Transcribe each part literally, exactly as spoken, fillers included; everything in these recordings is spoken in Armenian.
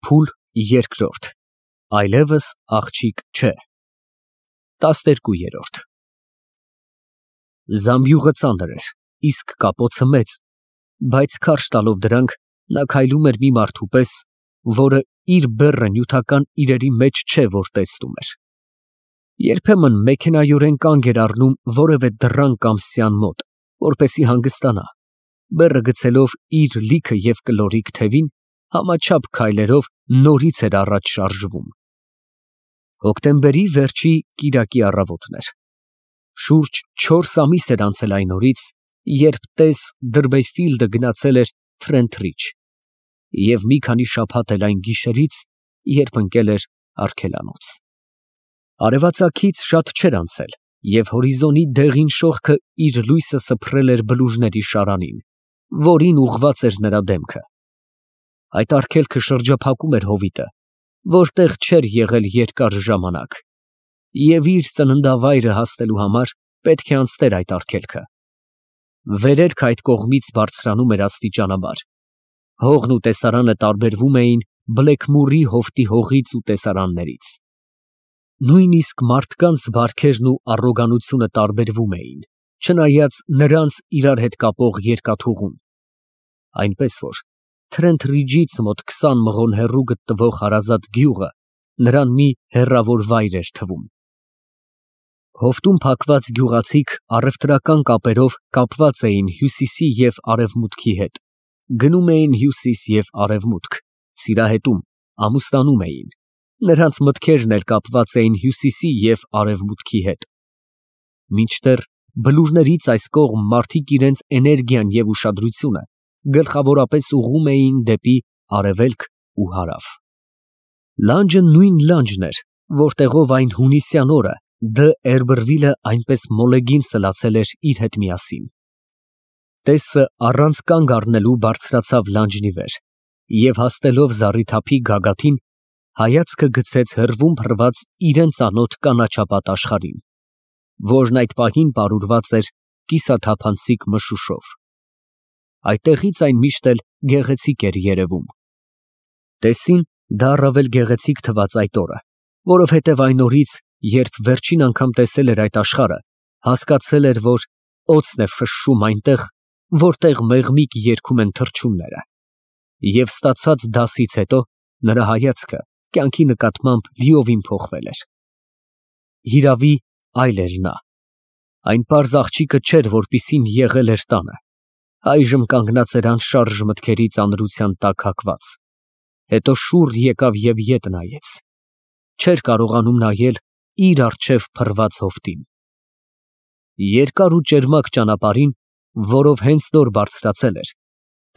Փուլ երկրորդ, այլևս աղջիկ չէ։ տասներկուերորդ Զամբյուղը ծանր էր, իսկ կապոցը մեծ, բայց քարշ տալով դրանք, նա քայլում էր մի մարդու պես, որը իր բեռը նյութական իրերի մեջ չէ, որ տեսնում էր։ Երբեմն մեքենայորեն կանգ էր առնում որևէ դռան կամ սյան մոտ, որպեսզի հանգստանա, բեռը գցելով իր լիքը և կլորիկ թևին, համաչափ քայլերով նորից էր առաջ շարժվում։ Հոկտեմբերի վերջի կիրակի առավոտն էր։ Շուրջ չորս ամիս էր անցել այն օրից, երբ տես Դըրբեյֆիլդը գնացել էր Թրենթրիջ, և մի քանի շաբաթ էլ այն գիշերից, երբ ընկել էր արգելանոց։ Արևածագից շատ չէր անցել, և հորիզոնի դեղին շողքը իր լույսը սփռել էր բլուրների շարանին, որին ուղղված էր նրա դեմքը։ Այդ արգելքը շրջափակում էր հովիտը, որտեղ չէր եղել երկար ժամանակ, և իր ծննդավայրը հասնելու համար պետք է անցներ այդ արգելքը։ Վերելքը այդ կողմից բարձրանում էր աստիճանաբար։ Հողն ու տեսարանը տարբերվում էին Բլեքմուրի հովտի հողից ու տեսարաններից։ Նույնիսկ մարդկանց բարքերն ու առոգանությունը տարբերվում էին, չնայած նրանց իրար հետ կապող երկաթուղուն, այնպես որ Թրենթրիջից մոտ քսան մղոն հեռու գտնվող հարազատ գյուղը նրան մի հեռավոր վայր էր թվում։ Հովտում փակված գյուղացիք առևտրական կապերով կապված էին հյուսիսի և արևմուտքի հետ, գնում էին հյուսիս և արևմուտք, սիրահետում, ամուսնանում էին, նրանց մտքերն էլ կապված էին հյուսիսի և արևմուտքի հետ։ Մինչդեռ բլուրներից այս կողմ մարդիկ իրենց էներգիան և ուշադրությունը գլխավորապես ուղղում էին դեպի արևելք ու հարավ։ Լանջը նույն լանջն էր, որտեղով այն հունիսյան օրը Դը Էրբրվիլը այնպես մոլեգին սլացել էր իր հետ միասին։ Տեսը առանց կանգ առնելու բարձրացավ լանջն ի վեր և հասնելով զառիթափի գագաթին, հայացքը գցեց հեռվում փռված իրան ծանոթ կանաչապատ աշխարհին, որն այդ պահին պարուրված էր կիսաթափանցիկ մշուշով։ Այդտեղից այն միշտ էլ գեղեցիկ էր երևում։ Տեսին դա առավել գեղեցիկ թվաց այդ օրը, որովհետև այն օրից, երբ վերջին անգամ տեսել էր այդ աշխարհը, հասկացել էր, որ օձն է ֆշշում այնտեղ, որտեղ մեղմիկ երգում են թռչունները, և ստացած դասից հետո նրա հայացքը կյանքի նկատմամբ լիովին փոխվել էր։ Հիրավի, այլ էր նա։ Այն պարզ աղջիկը չէր, որպիսին եղել էր տանը, այժմ կանգնած էր անշարժ մտքերի ծանրության տակ հագված, հետո շուռ եկավ և ետ նայեց, չէր կարողանում նայել իր առջև փռված հովտին։ Երկար ու ճերմակ ճանապարհին, որով հենց նոր բարձրացել էր,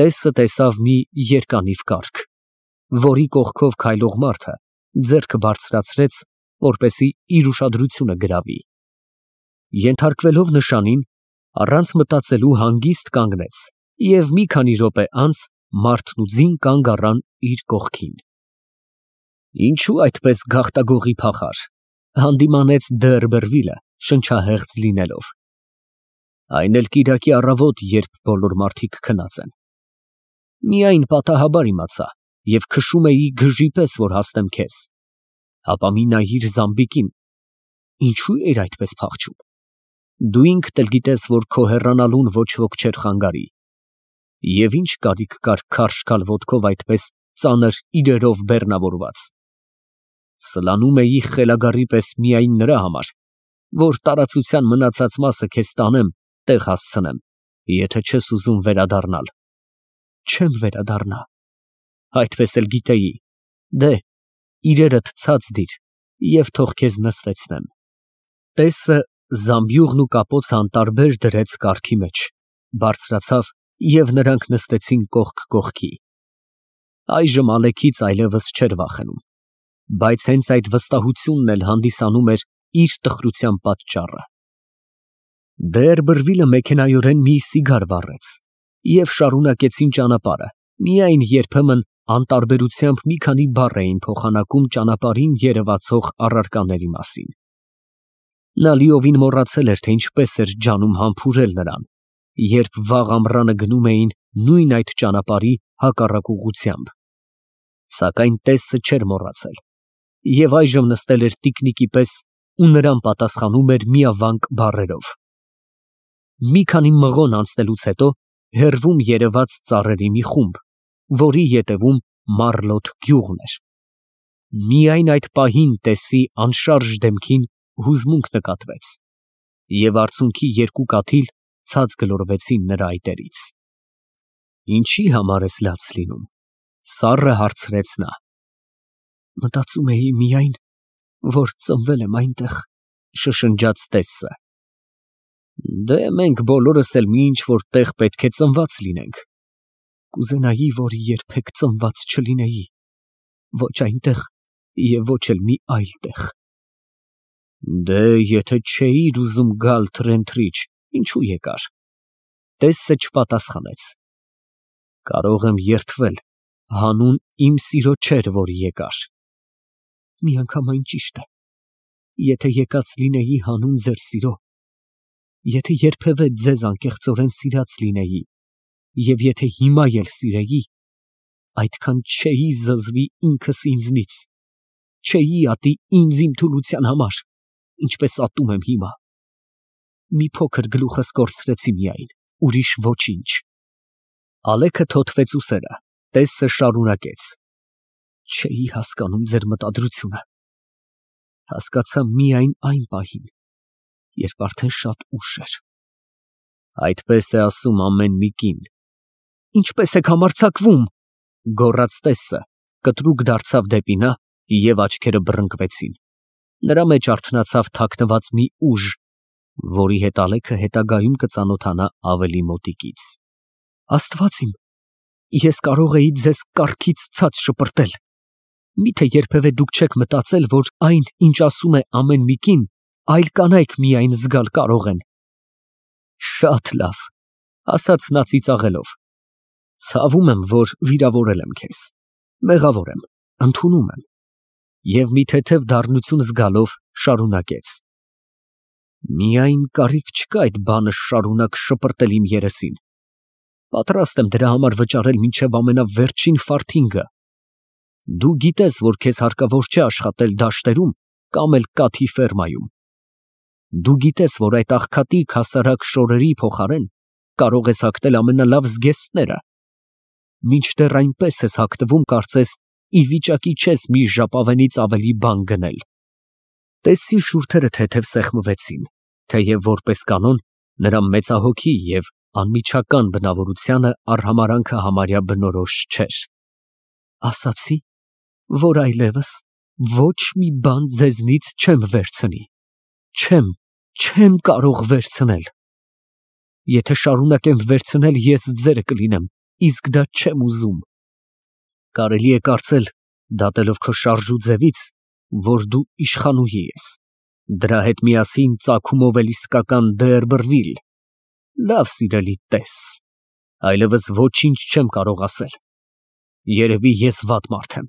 տեսը տեսավ մի երկանիվ կառք, որի կողքով քայլող մարդը ձեռքը բարձրացրեց, որպեսզի իր ուշադրությունը գրավի։ Ենթարկվելով նշանին, առանց մտածելու հանգիստ կանգնեց, և մի քանի րոպե անց մարդն ու ձին կանգ առան իր կողքին։ Ինչո՞ւ այդպես գաղտագողի փախար, հանդիմանեց Դը Էրբերվիլը շնչահեղձ լինելով։ Այն էլ կիրակի առավոտ, երբ բոլոր մարդիկ քնած են։ Միայն պատահաբար իմացա և քշում էի գժի պես, որ հասնեմ քեզ։ Հապա մի նայիր Զամբիկին, ինչո՞ւ էիր այդպես փախչում։ Դու ինքդ էլ գիտես, որ քո հեռանալուն ոչ ոք չէր խանգարի։ Եվ ինչ կարիք կար քարշ գալ ոտքով այդպես ծանր իրերով բեռնավորված։ Սլանում էի խելագարի պես միայն նրա համար, որ տարածության մնացած մասը քեզ տանեմ, տեղ հասցնեմ, եթե չես ուզում վերադառնալ։ Չեմ վերադառնա։ Այդպես էլ գիտեի։ Դե, իրերդ ցած դիր և թող քեզ նստեցնեմ։ Տեսը զամբյուղն ու կապոցը անտարբեր դրեց կառքի մեջ, բարձրացավ և նրանք նստեցին կողք կողքի։ Այժմ Ալեքից այլևս չէր վախենում, բայց հենց այդ վստահությունն էլ հանդիսանում էր իր տխրության պատճառը։ Դը Էրբերվիլը մեքենայորեն մի սիգար վառեց և շարունակեցին ճանապարհը, միայն երբեմն անտարբերությամբ մի քանի բառ էին փոխանակում ճանապարհին երևացող առարկաների մասին։ Նա լիովին մոռացել էր, թե ինչպես էր ջանում համբուրել նրան, երբ վաղ ամռանը գնում էին նույն այդ ճանապարհի հակառակ ուղղությամբ։ Սակայն տեսը չէր մոռացել և այժմ նստել էր տիկնիկի պես ու նրան պատասխանում էր միավանք բառերով։ Մի քանի մղոն անցնելուց հետո հեռվում երևաց ծառերի մի խումբ, որի ետևում Մարլոտ գյուղն էր։ Միայն այդ պահին տեսի անշարժ դեմքին հուզմունք նկատվեց, և արցունքի երկու կաթիլ ցած գլորվեցին նրա այտերից։ Ինչի համար ես լաց լինում, սառը հարցրեց նա։ Մտածում էի միայն, որ ծնվել եմ այնտեղ, շշնջաց տեսը։ Դե մենք բոլորս էլ մի ինչ-որ տեղ պետք է ծնված լինենք։ Կուզենայի, որ երբեք ծնված չլինեի, ոչ այնտեղ և ոչ էլ մի այլ տեղ։ Դե եթե չէիր ուզում գալ Թրենթրիջ, ինչու եկար։ Տեսը չպատասխանեց։ Կարող եմ երդվել, հանուն իմ սիրո չէր, որ եկար։ Միանգամայն ճիշտ է, եթե եկած լինեի հանուն ձեր սիրո, եթե երբևէ ձեզ անկեղծորեն սիրած լինեի, և եթե հիմա էլ սիրեի, այդքան չէի զզվի ինքս ինձնից, չէի ատի ինձ իմ թուլության համար, ինչպես ատում եմ հիմա։ Մի փոքր գլուխս կորցրեցի միայն, ուրիշ ոչինչ։ Ալեքը թոթվեց ուսերը, տեսը շարունակեց. Չէի հասկանում ձեր մտադրությունը։ Հասկացա միայն այն պահին, երբ արդեն շատ ուշ էր։ Այդպես է ասում ամեն մի կին։ Ինչպես եք համարձակվում, գոռաց տեսը, կտրուկ դարձավ դեպի նա և աչքերը բռնկվեցին։ Նրա մեջ արթնացավ թաքնված մի ուժ, որի հետ Ալեքը հետագայում կծանոթանա ավելի մոտիկից։ Աստված իմ, ես կարող էի ձեզ կառքից ցած շպրտել։ Միթե երբևէ դուք չեք մտածել, որ այն, ինչ ասում է ամեն մի կին, այլ կանայք միայն զգալ կարող են։ Շատ լավ, ասաց նա ծիծաղելով։ Ցավում եմ, որ վիրավորել եմ քեզ, մեղավոր եմ, ընդունում եմ։ Եվ մի թեթև դառնություն զգալով շարունակեց. Միայն կարիք չկա այդ բանը շարունակ շպրտել իմ երեսին։ Պատրաստ եմ դրա համար վճարել մինչև ամենավերջին ֆարթինգը։ Դու գիտես, որ քեզ հարկավոր չէ աշխատել դաշտերում կամ էլ կաթի ֆերմայում։ Դու գիտես, որ այդ աղքատիկ հասարակ շորերի փոխարեն կարող ես հագնել ամենալավ զգեստները։ Մինչդեռ այնպես ես հագնվում, կարծես ի վիճակի չես մի ժապավենից ավելի բան գնել։ Տեսի շուրթերը թեթև սեղմվեցին, թեև որպես կանոն նրա մեծահոգի և անմիջական բնավորությանը արհամարհանքը համարյա բնորոշ չէր։ Ասացի, որ այլևս ոչ մի բան ձեզնից չեմ վերցնի, չեմ, չեմ կարող վերցնել։ Եթե շարունակեմ վերցնել, ես ձերը կլինեմ, իսկ դա չեմ ուզում։ Կարելի է կարծել, դատելով քո շարժու ձևից, որ դու իշխանուհի ես, դրա հետ միասին ծագումով էլ իսկական Դերբրվիլ։ Լավ, սիրելի տես, այլևս ոչինչ չեմ կարող ասել։ Երևի ես վատ մարդ եմ,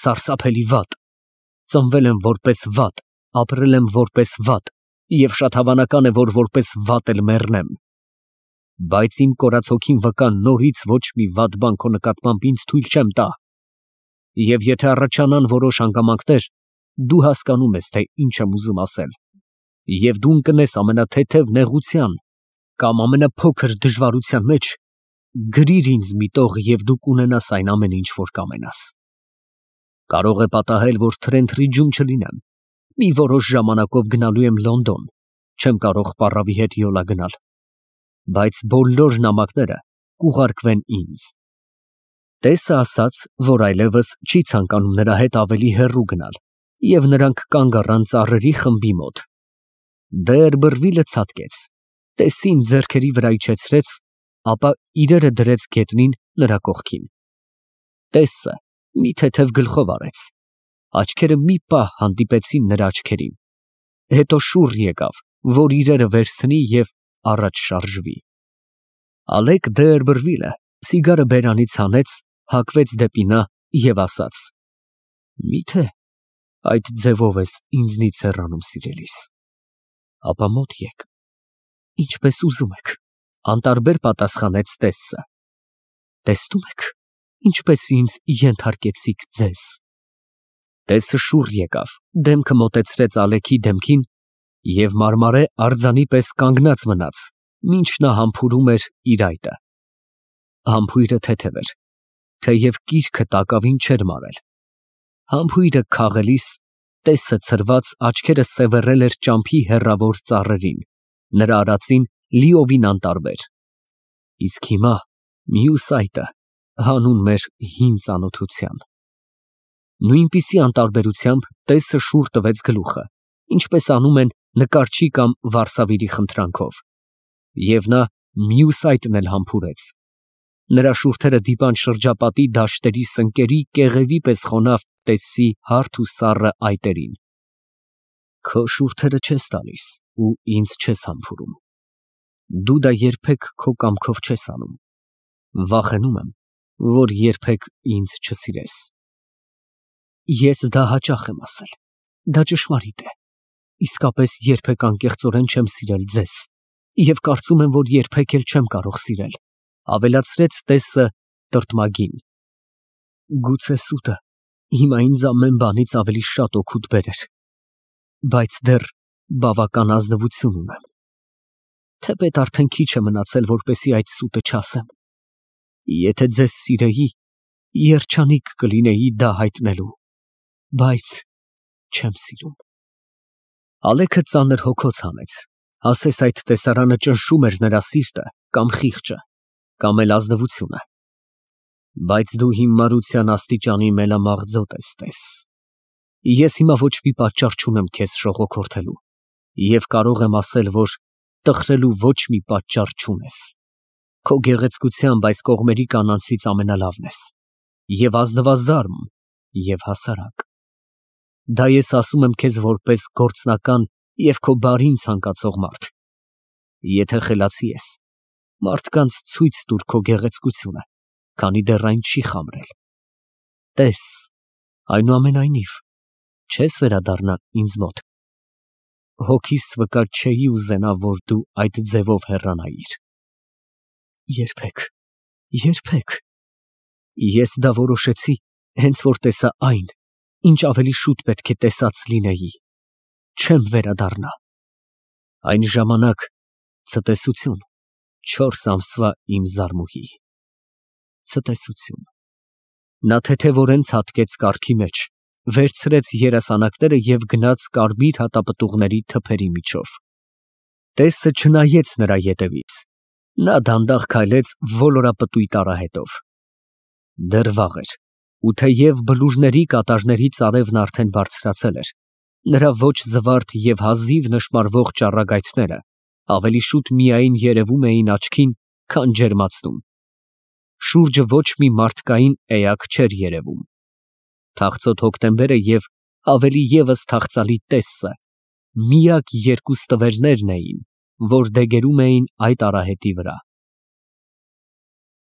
սարսափելի վատ, ծնվել եմ որպես վատ, ապրել եմ որպես վատ, և շատ հավանական է, որ որպես վատ էլ մեռնեմ։ Բայց իմ կորած հոգին վկա նորից ոչ մի վատ բան քո նկատմամբ ինձ թույլ չեմ տա։ Եվ եթե առաջանան որոշ հանգամանքներ, դու հասկանում ես, թե ինչ եմ ուզում ասել, և դու ընկնես ամենաթեթև նեղության կամ ամենափոքր դժվարության մեջ, գրիր ինձ մի տող և դու կունենաս այն ամեն ինչ, որ կամենաս։ Կարող է պատահել, որ Թրենթրիջում չլինեմ, մի որոշ ժամանակով գնալու եմ Լոնդոն, չեմ կարող պառավի հետ յոլա գնալ, բայց բոլոր նամակները կուղարկվեն ինձ։ Տեսը ասաց, որ այլևս չի ցանկանում նրա հետ ավելի հեռու գնալ, և նրանք կանգ առան ծառերի խմբի մոտ։ Դերբրվիլը ցատկեց, տեսին ձեռքերի վրա իջեցրեց, ապա իրերը դրեց գետնին նրա կողքին։ Տեսը մի թեթև գլխով արեց, աչքերը մի պահ հանդիպեցին նրա աչքերին, հետո շուռ եկավ, որ իրերը վերցնի և առաջ շարժվի։ Ալեկ Դերբրվիլը սիգարը բերանից հանեց, հակվեց դեպի նա և ասաց. Միթե այդ ձևով ես ինձնից հեռանում, սիրելիս, ապա մոտ եկ, ինչպես ուզում եք, անտարբեր պատասխանեց տեսը։ Տեսնում եք, ինչպես ինձ ենթարկեցիք ձեզ։ Տեսը շուռ եկավ, դեմքը մոտեցրեց Ալեքի դեմքին և մարմարե արձանի պես կանգնած մնաց, մինչ նա համբուրում էր իր այտը։ Համբույրը թեթև էր, թեև կիրքը տակավին չէր մարել։ Համբույրը քաղելիս տեսը ցրված աչքերը սևեռել էր ճամփի հեռավոր ծառերին, նրա արածին լիովին անտարբեր։ Իսկ հիմա մյուս այտը հանուն մեր հին ծանոթության։ Նույնպիսի անտարբերությամբ տեսը շուռ տվեց գլուխը, ինչպես անում են նկարչի կամ վարսավիրի խնդրանքով, և նա մյուս այտն էլ համբուրեց։ Նրա շուրթերը դիպան շրջապատի դաշտերի սնկերի կեղևի պես խոնավ տեսի հարթ ու սառը այտերին։ Քո շուրթերը չես տալիս ու ինձ չես համբուրում։ Դու դա երբեք քո կամքով չես անում։ Վախենում եմ, որ երբեք ինձ չսիրես։ Ես դա հաճախ եմ ասել, դա ճշմարիտ է, իսկապես երբեք անկեղծորեն չեմ սիրել ձեզ և կարծում եմ, որ երբեք էլ չեմ կարող սիրել, ավելացրեց տեսը տրտմագին։ Գուցե սուտը հիմա ինձ ամեն բանից ավելի շատ օգուտ բերեր, բայց դեռ բավական ազնվություն ունեմ։ Թեպետ արդեն քիչ է մնացել, որպեսզի այդ սուտը չասեմ։ Եթե ձեզ սիրեի, երջանիկ կլինեի դա հայտնելու, բայց չեմ սիրում։ Ալեքը ծանր հոգոց հանեց, ասես այդ տեսարանը ճնշում էր նրա սիրտը կամ խիղճը, կամ էլ ազնվությունը։ Բայց դու հիմարության աստիճանի մենամաղձոտ ես, տես։ Ես հիմա ոչ մի պատճառ չունեմ քեզ շողոքորթելու և կարող եմ ասել, որ տխրելու ոչ մի պատճառ չունես։ Քո գեղեցկությամբ այս կողմերի կանանցից ամենալավն ես, և ազնվազարմ, և հասարակ։ Դա ես ասում եմ քեզ որպես գործնական և քո բարին ցանկացող մարդ։ Եթե խելացի ես, մարդկանց ցույց տուր քո գեղեցկությունը, քանի դեռ այն չի խամրել։ Տես, այնուամենայնիվ, չես վերադառնա ինձ մոտ։ Հոգիս վկա չէի ուզենա, որ դու այդ ձևով հեռանայիր։ Երբեք, երբեք։ Ես դա որոշեցի, հենց որ տեսա այն, ինչ ավելի շուտ պետք է տեսած լինեի։ Չեմ վերադառնա։ Այն ժամանակ ցտեսություն, չորս ամսվա իմ զարմուհի։ Ցտեսություն։ Նա թեթևորեն ցատկեց կառքի մեջ, վերցրեց երասանակները և գնաց կարմիր հատապտուղների թփերի միջով։ Տեսը չնայեց նրա ետևից։ Նա դանդաղ քայլեց ոլորապտույտ արահետով։ Դեռ վաղ էր, ու թեև բլուրների կատարներից արևն արդեն բարձրացել էր, նրա ոչ զվարթ և հազիվ նշմարվող ճառագայթները ավելի շուտ միայն երևում էին աչքին, քան ջերմացնում։ Շուրջը ոչ մի մարդկային էակ չէր երևում։ Թախծոտ հոկտեմբերը և ավելի ևս թախծալի տեսը միակ երկու ստվերներն էին, որ դեգերում էին այդ արահետի վրա։